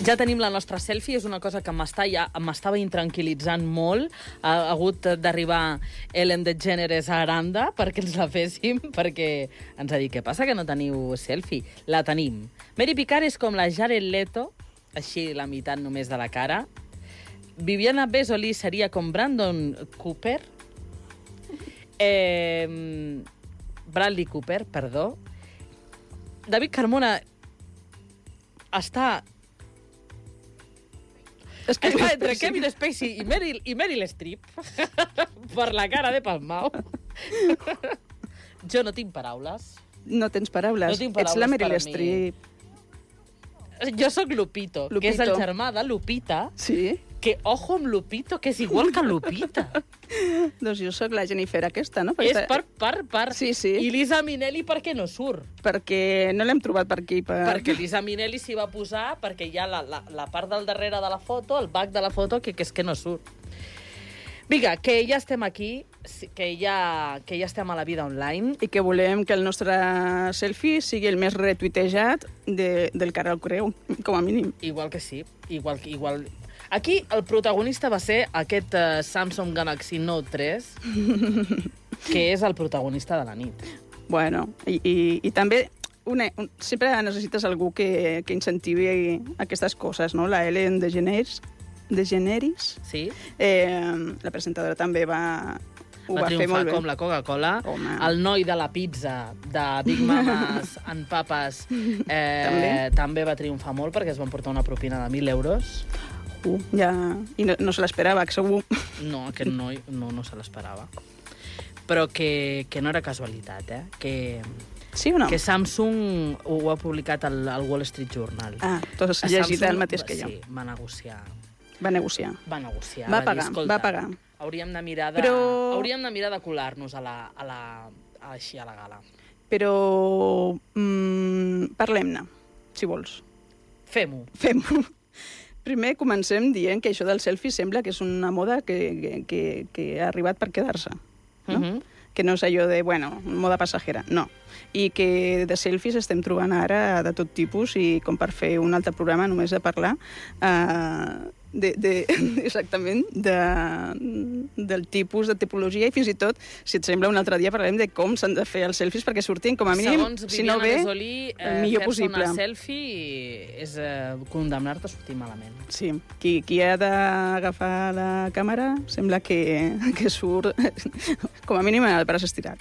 Ja tenim la nostra selfie, és una cosa que m'estava intranquil·litzant molt. Ha hagut d'arribar Ellen DeGeneres a Aranda perquè ens la féssim, perquè ens ha dit, què passa que no teniu selfie? La tenim. Mary Picard és com la Jared Leto, així la meitat només de la cara. Viviana Besoli seria com Brandon Cooper. Bradley Cooper, perdó. David Carmona està... Està entre Kevin Spacey i Meryl Streep per la cara de Palmao. Jo no tinc paraules. No tens paraules. No tinc paraules. Ets la Meryl Streep. Jo sóc Lupito, que és el germà de Lupita. Sí? Que ojo amb Lupito, que és igual que Lupita. Doncs jo sóc la Jennifer aquesta, no? És per. Sí, sí. I Lisa Minnelli per què no surt? Perquè no l'hem trobat per aquí. Perquè Lisa Minnelli s'hi va posar perquè hi ha la part del darrere de la foto, el back de la foto, que és que no surt. Vinga, que ja estem aquí, que ja estem a la vida online. I que volem que el nostre selfie sigui el més retuitejat del Carol Creu, com a mínim. Igual que sí, igual. Aquí el protagonista va ser aquest Samsung Galaxy Note 3, que és el protagonista de la nit. Bueno, i també sempre necessites algú que incentivi aquestes coses, no? La Ellen DeGeneres, sí. La presentadora també ho va fer molt bé. Com la Coca-Cola. El noi de la pizza de Big Mamas and Papas també va triomfar molt perquè es van portar una propina de 1.000 euros. Ja. I no se l'esperava, segur. No, aquest noi no se l'esperava. Però que no era casualitat, Sí o no? Que Samsung ho ha publicat al Wall Street Journal. Tu has llegit el mateix que jo. Sí, va negociar. Va negociar. Va pagar. Hauríem de mirar de colar-nos així a la gala. Però parlem-ne, si vols. Fem-ho. Primer comencem dient que això del selfie sembla que és una moda que ha arribat per quedar-se. No? Que no és allò de, moda passajera. No. I que de selfies estem trobant ara de tot tipus i com per fer un altre programa només de parlar exactament del tipus de tipologia i fins i tot, si et sembla, un altre dia parlarem de com s'han de fer els selfies perquè surtin com a mínim, segons si no bé, el millor possible. Fer-se una selfie és condemnar-te a sortir malament. Sí. Qui ha d'agafar la càmera sembla que surt com a mínim el braç estirat.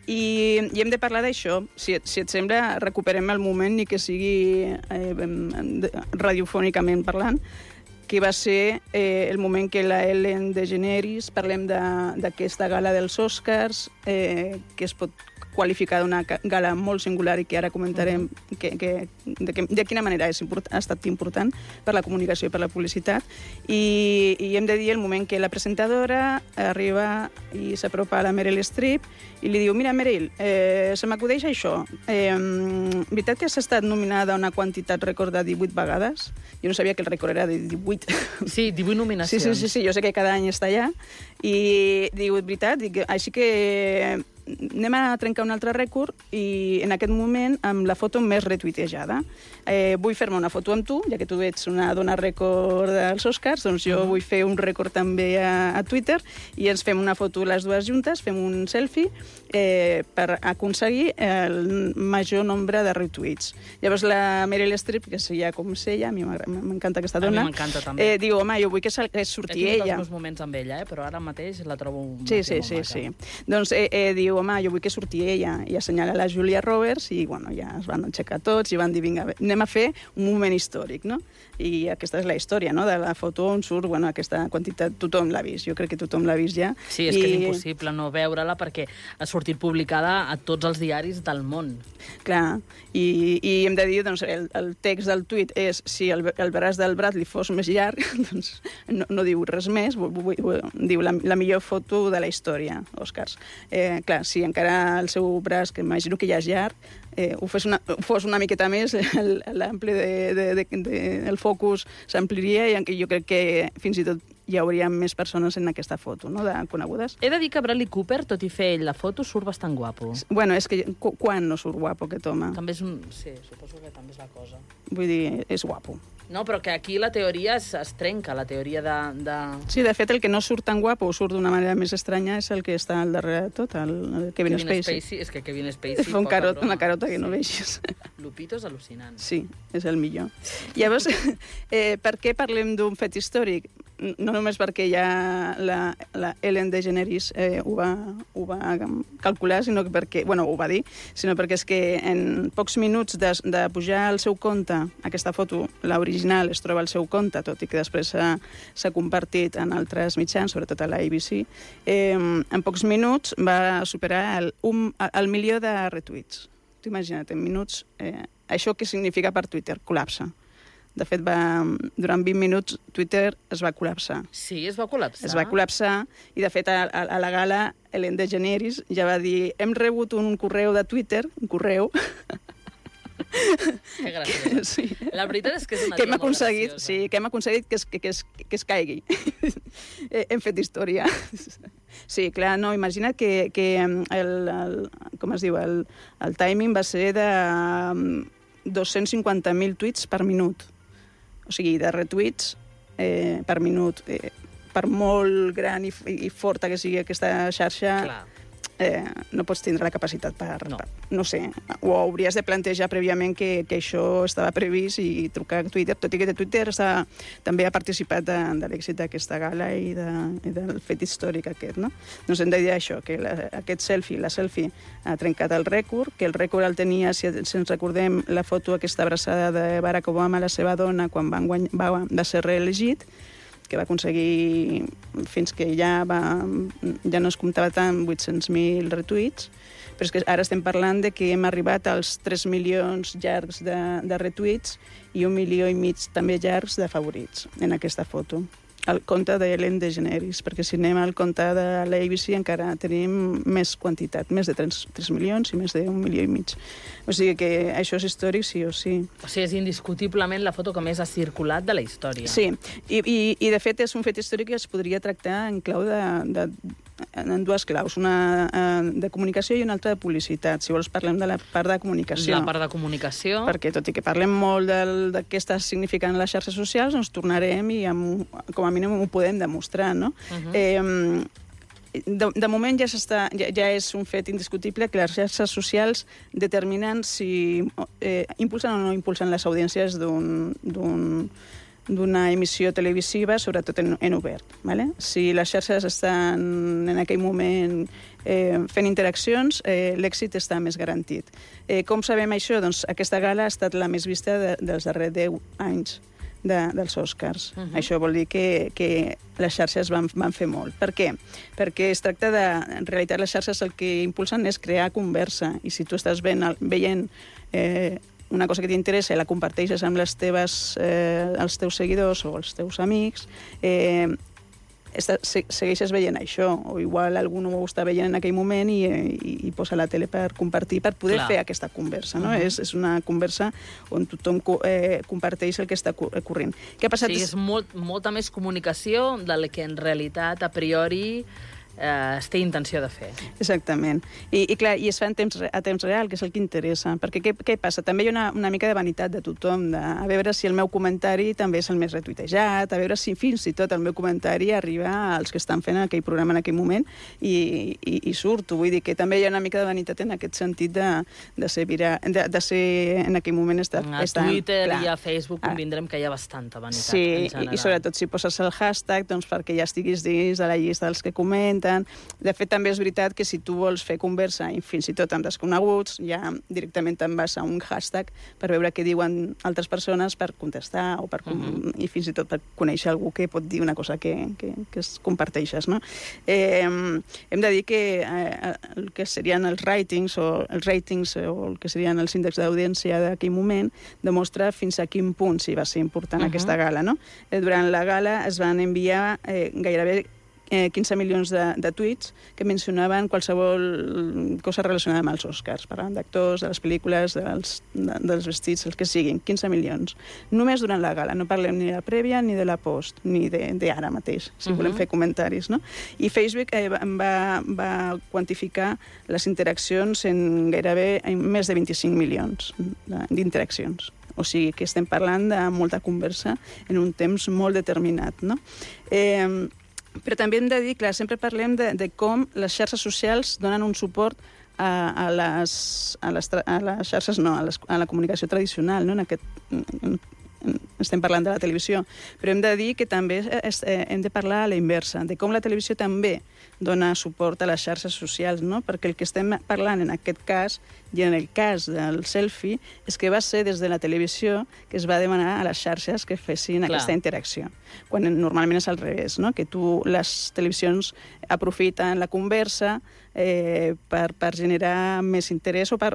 I hem de parlar d'això. Si et sembla, recuperem el moment ni que sigui radiofònicament parlant, que va ser el moment que la Ellen DeGeneres, parlem d'aquesta gala dels Oscars, que es pot qualificar d'una gala molt singular i que ara comentarem de quina manera ha estat important per la comunicació i per la publicitat. I hem de dir el moment que la presentadora arriba i s'apropa a la Meryl Streep i li diu, mira, Meryl, se m'acudeix això. Veritat que has estat nominada una quantitat rècord de 18 vegades? Jo no sabia que el rècord era de 18. Sí, 18 nominacions. Sí, jo sé que cada any està allà. I diu, veritat, així que anem a trencar un altre rècord i en aquest moment amb la foto més retuitejada. Vull fer-me una foto amb tu, ja que tu ets una dona rècord dels Oscars, doncs jo vull fer un rècord també a Twitter i ens fem una foto les dues juntes, fem un selfie per aconseguir el major nombre de retuits. Llavors la Meryl Streep, que és ja com sé ella, a mi m'encanta aquesta dona, a mi m'encanta també. Diu, home, jo vull que surti ella. És un dels meus moments amb ella, però ara mateix la trobo Sí. Doncs diu, home, jo vull que surti ella, i assenyala la Julia Roberts, i ja es van aixecar tots, i van dir, vinga, anem a fer un moment històric, no? I aquesta és la història, no?, de la foto on surt, aquesta quantitat, tothom l'ha vist, jo crec que tothom l'ha vist ja. Sí, és que és impossible no veure-la perquè ha sortit publicada a tots els diaris del món. Clar, i hem de dir, doncs, el text del tuit és, si el braç del Bradley fos més llarg, doncs no diu res més, diu la millor foto de la història, Oscars. Clar, si encara el seu braç, que imagino que ja és llarg, ho fos una miqueta més, l'ample del focus s'ampliria i jo crec que fins i tot hi hauria més persones en aquesta foto, no?, de conegudes. He de dir que Bradley Cooper, tot i fer ell la foto, surt bastant guapo. Bueno, és que quan no surt guapo aquest home? També és sí, suposo que també és la cosa. Vull dir, és guapo. No, però que aquí la teoria es trenca, la teoria de... Sí, de fet, el que no surt tan guapo o surt d'una manera més estranya és el que està al darrere de tot, el Kevin Spacey. És que Kevin Spacey... Fa una carota que no veixis. Lupito és al·lucinant. Sí, és el millor. Llavors, per què parlem d'un fet històric? No només perquè ja la Ellen DeGeneres ho va calcular, sinó que perquè, bueno, ho va dir, sinó perquè és que en pocs minuts de pujar al seu compte, aquesta foto, l'original, es troba al seu compte, tot i que després s'ha compartit en altres mitjans, sobretot a la ABC, en pocs minuts va superar el milió de retuits. T'imagina't, en minuts, això què significa per Twitter? Col·lapse. De fet, durant 20 minuts Twitter es va col·lapsar. Sí, es va col·lapsar? Es va col·lapsar i, de fet, a la gala, Ellen DeGeneres ja va dir hem rebut un correu de Twitter, un correu... Que graciosa. Sí. La veritat és que és una tia molt graciosa. Sí, que hem aconseguit que es caigui. Hem fet història. Sí, clar, no, imagina't que com es diu, el timing va ser de 250.000 tuits per minut. O sigui, de retuits per minut. Per molt gran i forta que sigui aquesta xarxa, no pots tindre la capacitat no sé, ho hauries de plantejar prèviament que això estava previst i trucar a Twitter, tot i que Twitter també ha participat de l'èxit d'aquesta gala i del fet històric aquest, no? Doncs hem de dir això, que aquest selfie, la selfie, ha trencat el rècord, que el rècord el tenia, si ens recordem, la foto aquesta abraçada de Barack Obama, la seva dona, quan va ser reelegit, que va aconseguir, fins que ja no es comptava tant, 800.000 retuits, però és que ara estem parlant de que hem arribat als 3 milions llargs de retuits i 1,5 milions també llargs de favorits en aquesta foto. El compte d'Ellen DeGeneres, perquè si anem al compte de l'ABC encara tenim més quantitat, més de 3 milions i més de 1,5 milions. O sigui que això és històric sí o sí. O sigui, és indiscutiblement la foto que més ha circulat de la història. Sí, i de fet és un fet històric que es podria tractar en clau en dues claus, una de comunicació i una altra de publicitat. Si vols parlem de la part de comunicació. La part de comunicació. Perquè tot i que parlem molt de què està significant les xarxes socials, doncs tornarem i com a mínim ho podem demostrar, no? De moment ja és un fet indiscutible que les xarxes socials determinen si impulsen o no impulsen les audiències d'una emissió televisiva, sobretot en obert. ¿vale? Si les xarxes estan en aquell moment fent interaccions, l'èxit està més garantit. Com sabem això? Doncs aquesta gala ha estat la més vista dels darrers 10 anys dels Oscars. Això vol dir que les xarxes van fer molt. Per què? Perquè es tracta de... En realitat, les xarxes el que impulsen és crear conversa. I si tu estàs veient una cosa que t'interessa i la comparteixes amb els teus seguidors o els teus amics, segueixes veient això, o igual algú no ho està veient en aquell moment i posa la tele per compartir, per poder fer aquesta conversa. No? És una conversa on tothom comparteix el que està ocorrent. Què ha passat? Sí, és molta més comunicació del que en realitat, a priori, es té intenció de fer. Exactament. I clar, i es fa a temps real, que és el que interessa. Perquè què passa? També hi ha una mica de vanitat de tothom, a veure si el meu comentari també és el més retuitejat, a veure si fins i tot el meu comentari arriba als que estan fent aquell programa en aquell moment i surto. Vull dir que també hi ha una mica de vanitat en aquest sentit de ser en aquell moment... A Twitter i a Facebook convindrem que hi ha bastanta vanitat. Sí, i sobretot si poses el hashtag doncs perquè ja estiguis dins de la llista dels que comenten. De fet, també és veritat que si tu vols fer conversa i fins i tot amb desconeguts, ja directament te'n vas a un hashtag per veure què diuen altres persones per contestar o i fins i tot per conèixer algú que pot dir una cosa que es comparteixes. No? Hem de dir que el que serien els ratings o el que serien els índexs d'audiència d'aquell moment demostra fins a quin punt sí va ser important aquesta gala. No? Durant la gala es van enviar gairebé 15 milions de tuits que mencionaven qualsevol cosa relacionada amb els Oscars, parlant d'actors, de les pel·lícules, dels vestits, el que siguin, 15 milions. Només durant la gala, no parlem ni de la prèvia ni de la post, ni d'ara mateix, si volem fer comentaris. No? I Facebook va quantificar les interaccions en gairebé més de 25 milions d'interaccions. O sigui que estem parlant de molta conversa en un temps molt determinat, no? Però també hem de dir, clar, sempre parlem de com les xarxes socials donen un suport a les xarxes, no, a la comunicació tradicional, no? Estem parlant de la televisió, però hem de dir que també hem de parlar a la inversa, de com la televisió també dona suport a les xarxes socials, no? Perquè el que estem parlant en aquest cas, i en el cas del selfie, és que va ser des de la televisió que es va demanar a les xarxes que fessin aquesta interacció, quan normalment és al revés, no? Que les televisions aprofiten la conversa per generar més interès o per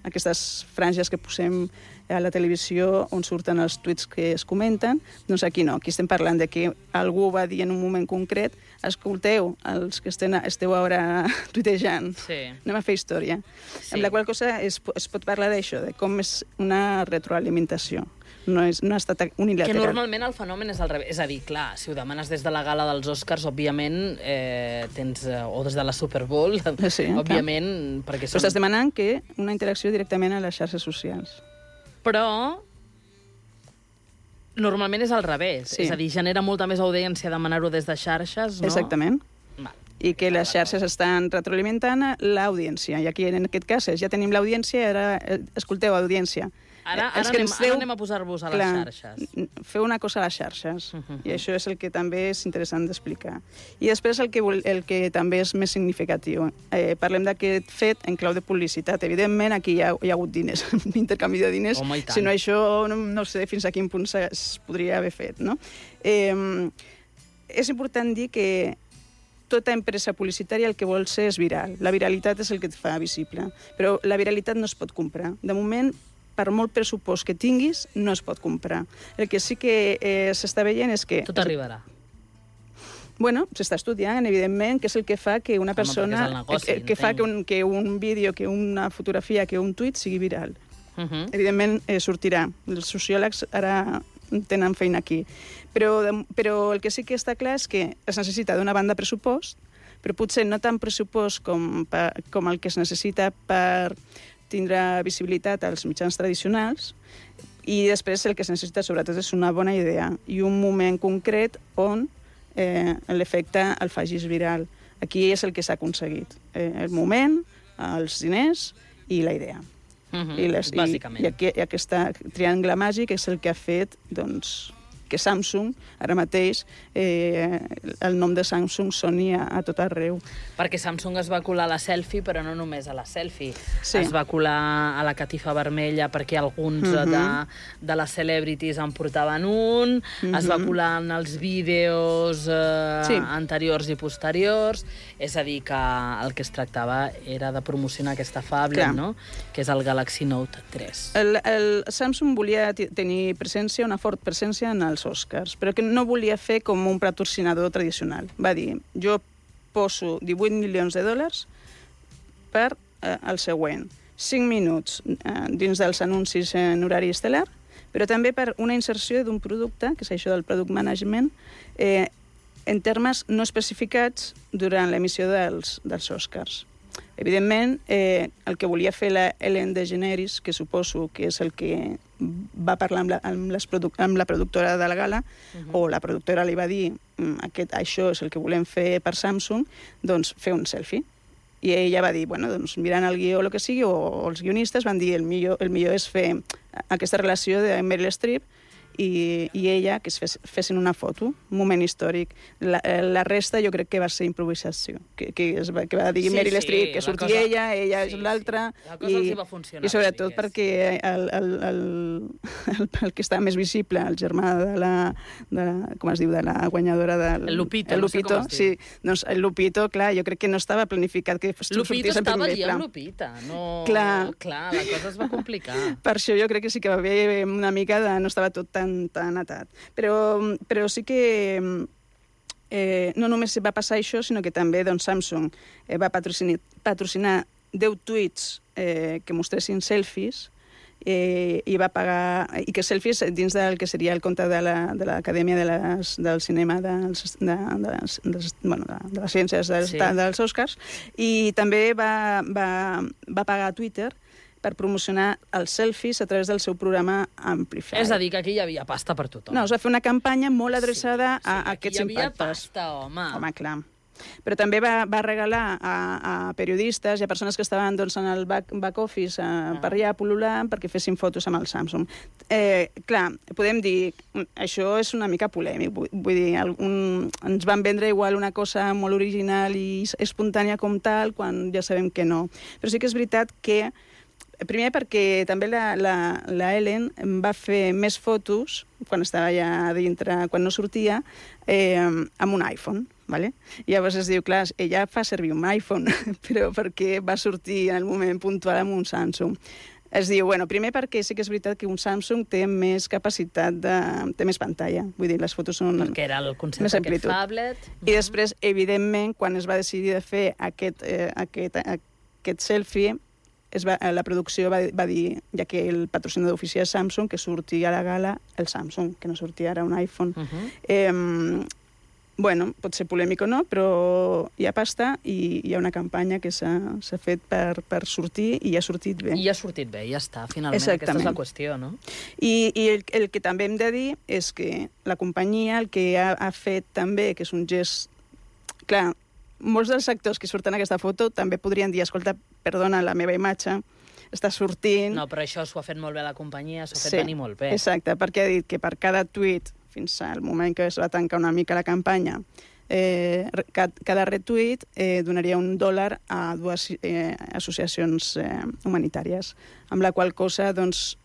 aquestes franges que posem a la televisió on surten els tuits que es comenten. Doncs aquí no, aquí estem parlant de que algú va dir en un moment concret: escolteu, els que esteu ara tuitejant, anem a fer història. Amb la qual cosa es pot parlar d'això, de com és una retroalimentació. No ha estat unilateral. Que normalment el fenomen és al revés. És a dir, clar, si ho demanes des de la gala dels Oscars, òbviament, o des de la Super Bowl, òbviament... Però estàs demanant que una interacció directament a les xarxes socials. Però normalment és al revés. És a dir, genera molta més audiència demanar-ho des de xarxes, no? Exactament. I que les xarxes estan retroalimentant l'audiència. I aquí, en aquest cas, ja tenim l'audiència, ara, escolteu, audiència. Ara anem a posar-vos a les xarxes. Feu una cosa a les xarxes. I això és el que també és interessant d'explicar. I després el que també és més significatiu. Parlem d'aquest fet en clau de publicitat. Evidentment, aquí hi ha hagut diners, intercanvi de diners. Si no, això no sé fins a quin punt es podria haver fet, no? És important dir que tota empresa publicitària el que vol ser és viral. La viralitat és el que et fa visible. Però la viralitat no es pot comprar. De moment, per molt pressupost que tinguis, no es pot comprar. El que sí que s'està veient és que... Tot arribarà. Bueno, s'està estudiant, evidentment, que és el que fa que una persona... que fa que un vídeo, que una fotografia, que un tuit sigui viral. Evidentment, sortirà. Els sociòlegs ara tenen feina aquí. Però el que sí que està clar és que es necessita d'una banda pressupost, però potser no tant pressupost com el que es necessita per tindre visibilitat als mitjans tradicionals, i després el que es necessita sobretot és una bona idea i un moment concret on l'efecte el facis viral. Aquí és el que s'ha aconseguit. El moment, els diners i la idea. Bàsicament. I aquest triangle màgic és el que ha fet, doncs, que Samsung, ara mateix, el nom de Samsung soni a tot arreu. Perquè Samsung es va colar a la selfie, però no només a la selfie. Es va colar a la catifa vermella perquè alguns de les celebrities en portaven un, es va colar en els vídeos anteriors i posteriors. És a dir, que el que es tractava era de promocionar aquesta phablet, no? Que és el Galaxy Note 3. El Samsung volia tenir presència, una fort presència en els Oscars, però que no volia fer com un patrocinador tradicional. Va dir, jo poso 18 milions de dòlars per el següent. 5 minuts dins dels anuncis en horari estel·lar, però també per una inserció d'un producte, que és això del product management, en termes no especificats durant l'emissió dels Oscars. Evidentment, el que volia fer la Ellen DeGeneres, que suposo que és el que va parlar amb la productora de la gala, o la productora li va dir això és el que volem fer per Samsung, doncs fer un selfie. I ella va dir, bueno, doncs mirant el guió o el que sigui, o els guionistes van dir el millor és fer aquesta relació de Meryl Streep i ella, que fessin una foto, un moment històric. La resta jo crec que va ser improvisació, que va dir Meryl Streep, que surti ella és l'altra, i sobretot perquè el que està més visible, el germà de la com es diu, de la guanyadora del... El Lupito, no sé com es diu. Sí, doncs el Lupito, clar, jo crec que no estava planificat que sortís en primer pla. Lupito estava dient Lupita, no... Clar, la cosa es va complicar. Per això jo crec que sí que va haver una mica de... no estava tot tan atat. Però sí que no només va passar això, sinó que també Samsung va patrocinar 10 tuits que mostressin selfies i va pagar... i que selfies dins del que seria el compte de l'Acadèmia del Cinema de les Ciències dels Oscars, i també va pagar a Twitter per promocionar els selfies a través del seu programa Amplify. És a dir, que aquí hi havia pasta per tothom. No, es va fer una campanya molt adreçada a aquests impactes. Aquí hi havia pasta, home. Home, clar. Però també va regalar a periodistes i a persones que estaven doncs, en el back office per allà pol·lulant perquè fessin fotos amb el Samsung. Clar, podem dir, això és una mica polèmic, vull dir, ens van vendre igual una cosa molt original i espontània com tal, quan ja sabem que no. Però sí que és veritat que, primer perquè també la Ellen va fer més fotos quan estava allà dintre, quan no sortia, amb un iPhone. Vale? I llavors es diu, clar, ella fa servir un iPhone, però perquè va sortir en el moment puntual amb un Samsung. Es diu, bueno, primer perquè sí que és veritat que un Samsung té més capacitat, té més pantalla, vull dir, les fotos són... Perquè era el concepte d'aquest phablet. I després, evidentment, quan es va decidir de fer aquest selfie, la producció va dir, ja que el patrocinador oficial és Samsung, que surti a la gala el Samsung, que no sortia ara un iPhone. Bueno, pot ser polèmic o no, però hi ha pasta i hi ha una campanya que s'ha fet per sortir i ha sortit bé. I ha sortit bé, ja està, finalment. Aquesta és la qüestió, no? I el que també hem de dir és que la companyia el que ha fet també, que és un gest... Clar, molts dels actors que surten en aquesta foto també podrien dir, escolta, perdona, la meva imatge està sortint... No, però això s'ho ha fet molt bé la companyia, s'ho ha fet venir molt bé. Exacte, perquè ha dit que per cada tuit fins al moment que es va tancar una mica la campanya, cada retuit donaria $1 a dues associacions humanitàries, amb la qual cosa, doncs,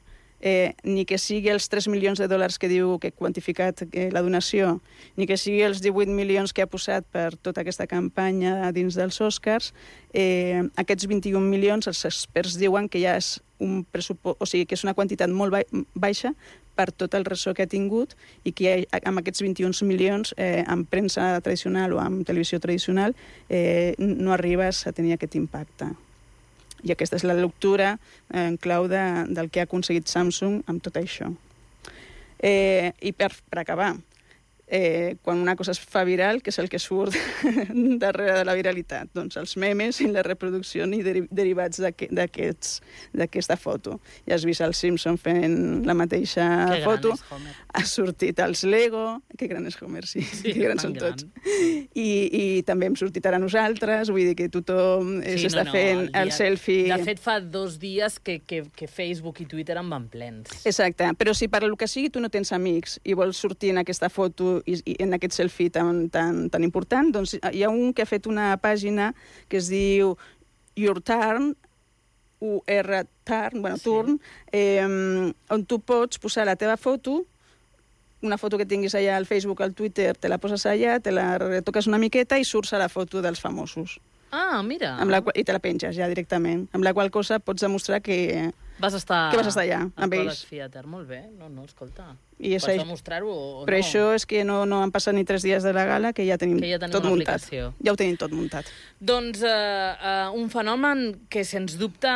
ni que sigui els $3 milions que diu que ha quantificat la donació, ni que sigui els 18 milions que ha posat per tota aquesta campanya dins dels Oscars, aquests 21 milions els experts diuen que ja és un pressupost, o sigui, que és una quantitat molt baixa per tot el ressò que ha tingut i que amb aquests 21 milions en premsa tradicional o en televisió tradicional no arribes a tenir aquest impacte. I aquesta és la lectura en clau del que ha aconseguit Samsung amb tot això. I per acabar, quan una cosa es fa viral, què és el que surt darrere de la viralitat? Doncs els memes i la reproducció i derivats d'aquesta foto. Ja has vist el Simpson fent la mateixa foto. Ha sortit els Lego. Que gran és Homer, sí. Que grans són tots. I també hem sortit ara nosaltres. Vull dir que tothom s'està fent el selfie. De fet, fa 2 dies que Facebook i Twitter en van plens. Exacte. Però si per lo que sigui tu no tens amics i vols sortir en aquesta foto i en aquest selfie tan important, doncs hi ha un que ha fet una pàgina que es diu Your Turn, Turn, on tu pots posar la teva foto, una foto que tinguis allà al Facebook, al Twitter, te la poses allà, te la retoques una miqueta i surts a la foto dels famosos. Ah, mira. I te la penges ja directament, amb la qual cosa pots demostrar que vas estar allà amb ells. Theater. Molt bé, no, escolta. Pots demostrar-ho o no? Però això és que no han passat ni 3 dies de la gala que ja tenim tot muntat. Ja ho tenim tot muntat. Doncs un fenomen que, sens dubte,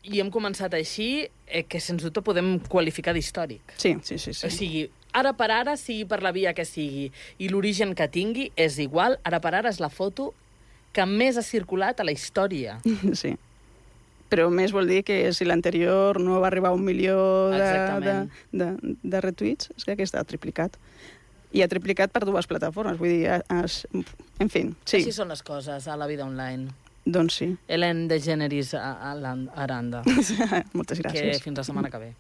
i hem començat així, que sens dubte podem qualificar d'històric. Sí. O sigui, ara per ara, sigui per la via que sigui, i l'origen que tingui, és igual, ara per ara és la foto que més ha circulat a la història. Sí. Però més vol dir que si l'anterior no va arribar a 1 milió de retuits, és que aquesta ha triplicat. I ha triplicat per 2 plataformes, vull dir, en fi, sí. Així són les coses a la vida online. Doncs sí. Ellen DeGeneres a Aranda. Moltes gràcies. Que fins la setmana que ve.